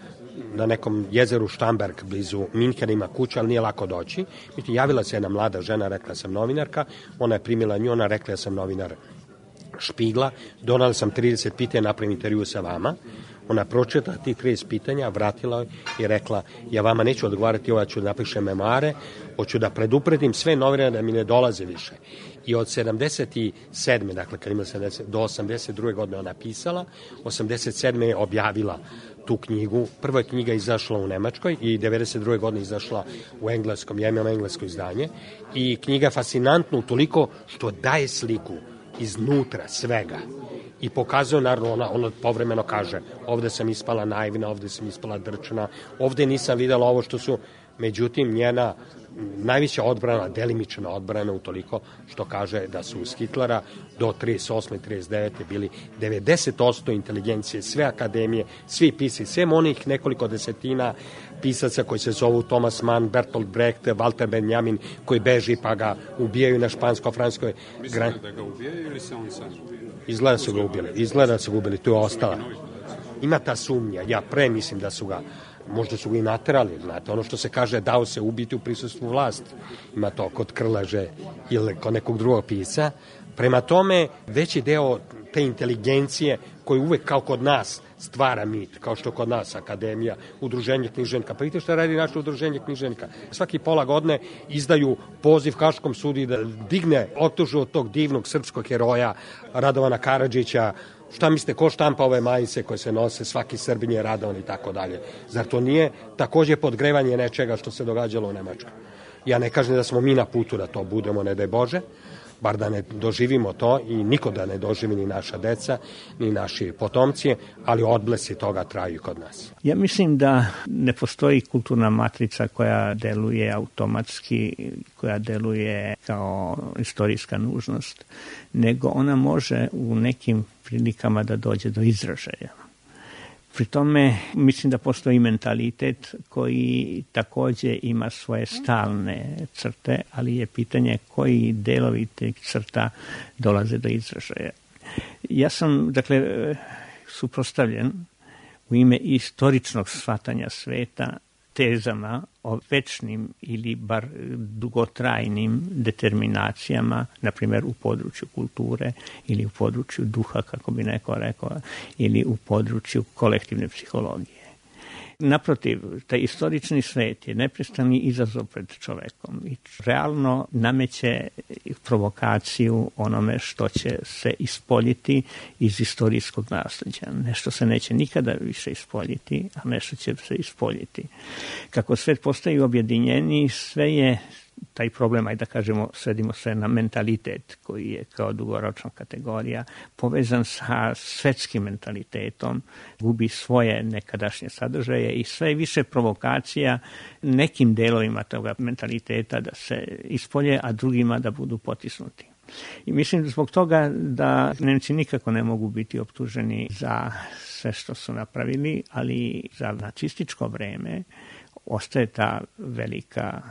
na nekom jezeru Štamberg blizu Minhena ima kuća, ali nije lako doći. Međutim, javila se jedna mlada žena, rekla sam novinarka, ona je primila nju, ona rekla ja sam novinar Špigla, donala sam 30 pitanja, napravim intervju sa vama. Ona pročitala tih 30 pitanja, vratila i rekla, ja vama neću odgovarati, ja ću da napišem memoare, hoću da predupredim sve novinare da mi ne dolaze više. I od 77. dakle kad ima 70, do 82. godine ona pisala, 87. je objavila tu knjigu. Prva je knjiga izašla u Nemačkoj i 92. godine izašla u engleskom, ja imam englesko izdanje. I knjiga je fascinantna utoliko što daje sliku iznutra svega i pokazuje, naravno, ona povremeno kaže, ovde sam ispala naivna, ovde sam ispala drčana, ovde nisam videla ovo što su, međutim, njena najviša odbrana, delimična odbrana utoliko što kaže da su uz Hitlera do 38. 39. bili 90% inteligencije, sve akademije, svi pisci, sem onih nekoliko desetina pisaca koji se zovu Thomas Mann, Bertolt Brecht, Walter Benjamin, koji beži pa ga ubijaju na špansko-franskoj granici. Mislite da ga ubijaju ili se on sam ubijaju? Izgleda su ga ubili, tu je ostala. Ima ta sumnja, ja mislim da su ga, možda su ga i naterali, znate, ono što se kaže dao se ubiti u prisustvu vlasti. Ima to kod Krleže ili kod nekog drugog pisa. Prema tome, veći deo te inteligencije koji uvek kao kod nas stvara mit, kao što kod nas akademija, udruženje književnika. Pa vidite što radi naše udruženje književnika. Svaki pola godine izdaju poziv Haškom sudu da digne optužbu od tog divnog srpskog heroja Radovana Karadžića. Šta mislite, ko štampa ove majice koje se nose, svaki Srbin je Radovan i tako dalje. Zar to nije takođe podgrevanje nečega što se događalo u Nemačkoj? Ja ne kažem da smo mi na putu da to budemo, ne daj Bože, bar da ne doživimo to i niko da ne doživi, ni naša deca, ni naši potomci, ali odblesi toga traju kod nas. Ja mislim da ne postoji kulturna matrica koja deluje automatski, koja deluje kao istorijska nužnost, nego ona može u nekim prilikama da dođe do izražaja. Pri tome mislim da postoji mentalitet koji takođe ima svoje stalne crte, ali je pitanje koji delovi tih crta dolaze do izražaja. Ja sam, dakle, suprotstavljen u ime istoričnog shvatanja sveta tezama o večnim ili bar dugotrajnim determinacijama, na primjer u području kulture ili u području duha, kako bi neko rekao, ili u području kolektivne psihologije. Naprotiv, taj istorični svet je neprestani izazov pred čovekom i realno nameće provokaciju onome što će se ispoljiti iz istorijskog nasljeđa. Nešto se neće nikada više ispoljiti, a nešto će se ispoljiti. Kako svet postaje objedinjeniji, sve je taj problem, ajde da kažemo, svedimo se na mentalitet koji je kao dugoročna kategorija povezan sa svetskim mentalitetom, gubi svoje nekadašnje sadržaje i sve više provokacija nekim delovima toga mentaliteta da se ispolje, a drugima da budu potisnuti. I mislim zbog toga da Nemci nikako ne mogu biti optuženi za sve što su napravili, ali za nacističko vreme ostaje ta velika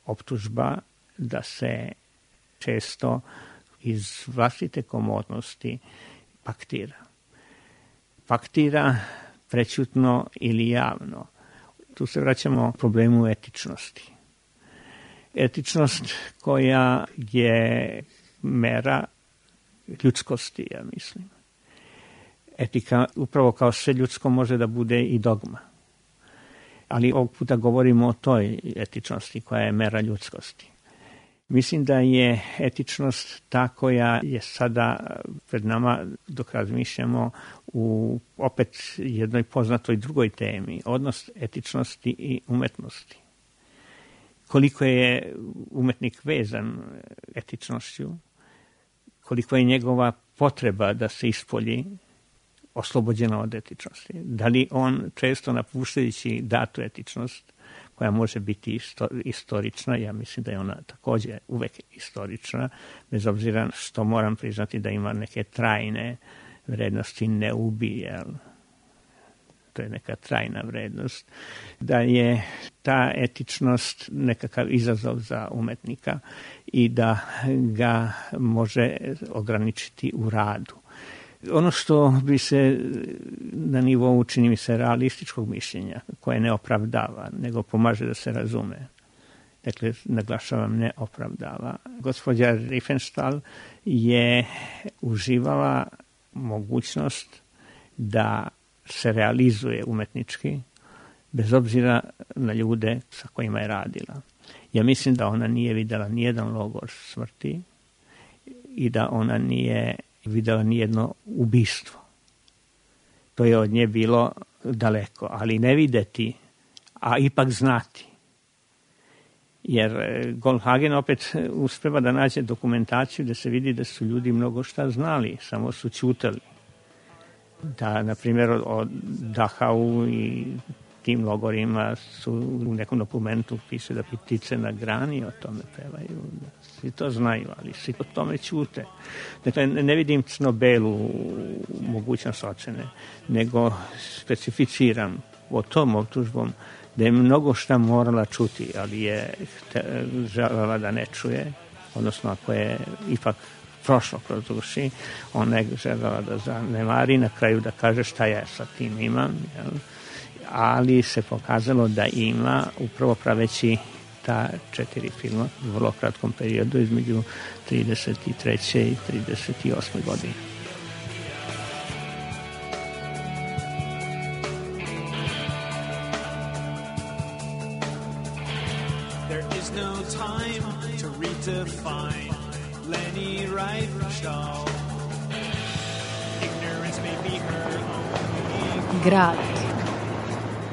optužba da se često iz vlastite komodnosti paktira. Paktira prećutno ili javno. Tu se vraćamo problemu etičnosti. Etičnost koja je mera ljudskosti, ja mislim. Etika, upravo kao sve ljudsko, može da bude i dogma. Ali ovog puta govorimo o toj etičnosti koja je mera ljudskosti. Mislim da je etičnost ta koja je sada pred nama dok razmišljamo u opet jednoj poznatoj drugoj temi, odnos etičnosti i umetnosti. Koliko je umetnik vezan etičnošću, koliko je njegova potreba da se ispolji oslobođena od etičnosti. Da li on često napuštajući datu etičnost, koja može biti istorična, ja mislim da je ona također uvek istorična, bez obzira što moram priznati da ima neke trajne vrednosti, ne ubije, to je neka trajna vrednost, da je ta etičnost nekakav izazov za umetnika i da ga može ograničiti u radu. Ono što bi se na nivou, čini mi se, realističkog mišljenja, koje ne opravdava, nego pomaže da se razume. Dakle, naglašavam, ne opravdava. Gospođa Riefenstahl je uživala mogućnost da se realizuje umetnički, bez obzira na ljude sa kojima je radila. Ja mislim da ona nije vidjela nijedan logor smrti i da ona nije vidjela nijedno ubistvo. To je od nje bilo daleko, ali ne videti, a ipak znati. Jer Goldhagen opet uspeva da nađe dokumentaciju da se vidi da su ljudi mnogo šta znali, samo su ćutali. Da, na primjer, o Dachau i tim logorima su u nekom dokumentu piše da ptice na grani o tome pevaju. Svi to znaju, ali svi o tome ćute. Dakle, ne vidim crno-belu mogućnost ocene, nego specificiram o tom optužbom da je mnogo šta morala čuti, ali je želela da ne čuje, odnosno ako je ipak prošlo kroz duši, ona je želela da zanemari, na kraju da kaže šta ja sa tim imam, jel? Ali se pokazalo da ima, upravo praveći ta 4 filma u vrlo kratkom periodu između 33. i 38. godine. There is no time to redefine Leni Riefenstahl. Ignorance may be her only. Grad.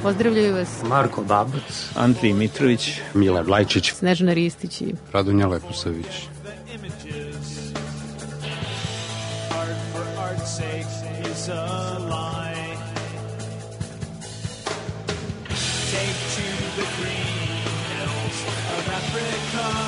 Pozdravljaju vas Marko Babac, Andrij Mitrović, Mile Vlajčić, Snežana Ristić i Radunja Leposavić. Art for art's sake is a lie. Take to the green hills of Africa.